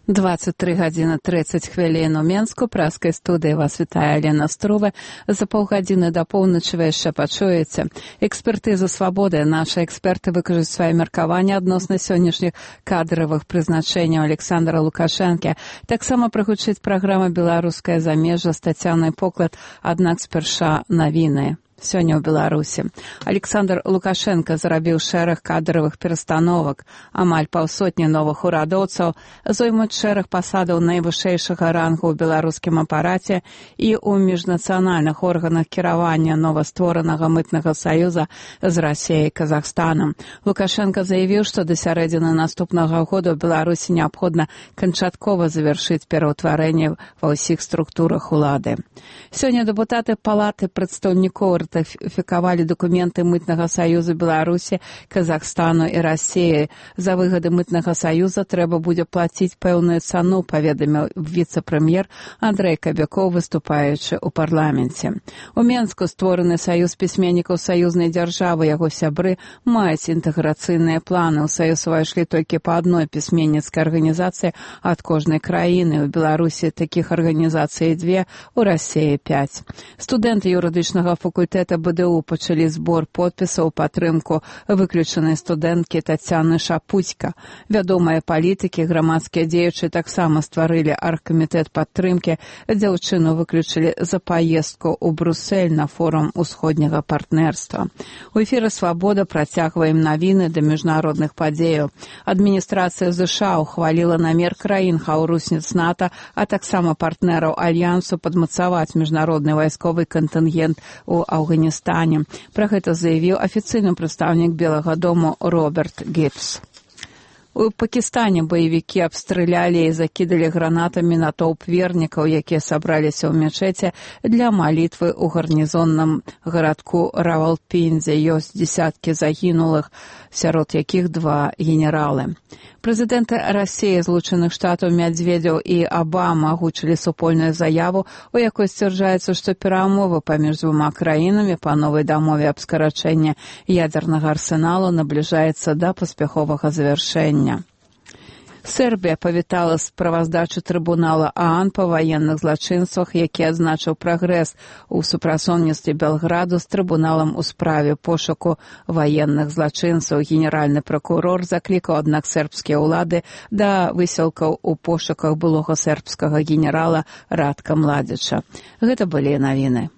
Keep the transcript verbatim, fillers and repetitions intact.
двадцать три гадзіны тридцать хвілін у Менску. Праскай студыі вас вітае Алена Струве. За паўгадзіны да поўначы вы яшчэ пачуеце. Экспертызу свабоды. Нашы эксперты выкажуць свае меркаванні адносна сённяшніх кадравых прызначэнняў Александра Лукашэнкі. Таксама прагучыць праграма «Беларускае замежжа» з Тацянай Поклад, аднак спярша навіны. Сёння ў Беларусі. Александр Лукашенко зрабіў шэраг кадравых перастановак. Амаль паўсотні новых урадоўцаў зоймуць шэраг пасадаў найвышэйшага рангу ў беларускім апараце і ў міжнацыянальных органах кіравання новастворанага мытнага саюза з Расіяй і Казахстанам. Лукашенко заявіў, што да сярэдзіны наступнага года ў Беларусі неабходна канчаткова завяршыць пераўтварэнне ва ўсіх структурах улады. Сёння дэпутаты Палаты прадстаўнікоў ратыфікавалі дакументы мытнага саюза Беларусі, Казахстану і Расіі. За выгады мытнага саюза трэба будзе плаціць пэўную цану, паведаміў віцэ-прэм'ер Андрэй Кабякоў, выступаючы ў парламенце. У Менску створаны саюз пісьменнікаў саюзнай дзяржавы. Яго сябры маюць інтэграцыйныя планы. У саюз увайшлі толькі па адной пісьменніцкай арганізацыі ад кожнай краіны. У Беларусі такіх арганізацый дзве, у Расіі пяць. Студэнты юрыдычнага факультэта БДУ пачалі збор подпісаў у падтрымку выключанай студэнткі Тацяны Шапуцька. Вядомыя палітыкі, грамадскія дзеячы таксама стварылі аргкамітэт падтрымкі. Дзяўчыну выключылі за паездку ў Брусэль на форум усходняга партнерства. У эфіры «Свабода» працягваем навіны да міжнародных падзеяў. Адміністрацыя ЗША ухваліла намер краін хаўрусніц НАТО, а таксама партнераў альянсу падмацаваць міжнародны вайсковы кантынгент у Афганістане. Пра гэта заявіў афіцыйны прадстаўнік Белага дому Роберт Гібс. У Пакістане баевікі абстралялі і закідалі гранатамі натоўп вернікаў, якія сабраліся ў мечеці для малітвы ў гарнізонным гарадку Равалпіндзе. Ёсць дзесяткі загінулых, сярод якіх два генералы. Прэзідэнты Расіі, Злучаных Штатаў, Мядзведзеў і Абама агучылі супольную заяву, у якой сцвярджаецца, што перамовы паміж двума краінамі па новай дамове аб скарачэнні ядзернага арсеналу набліжаецца да паспяховага завяршэння. Сербія павітала справаздачу трыбунала ААН па ваенных злачынствах, які адзначыў прагрэс у супрацоўніцтве Белграду з трыбуналам у справе пошуку ваенных злачынцаў. Генеральны пракурор заклікаў, аднак, сербскія ўлады да высілкаў у пошуках былога сербскага генерала Радка Младзіча. Гэта былі навіны.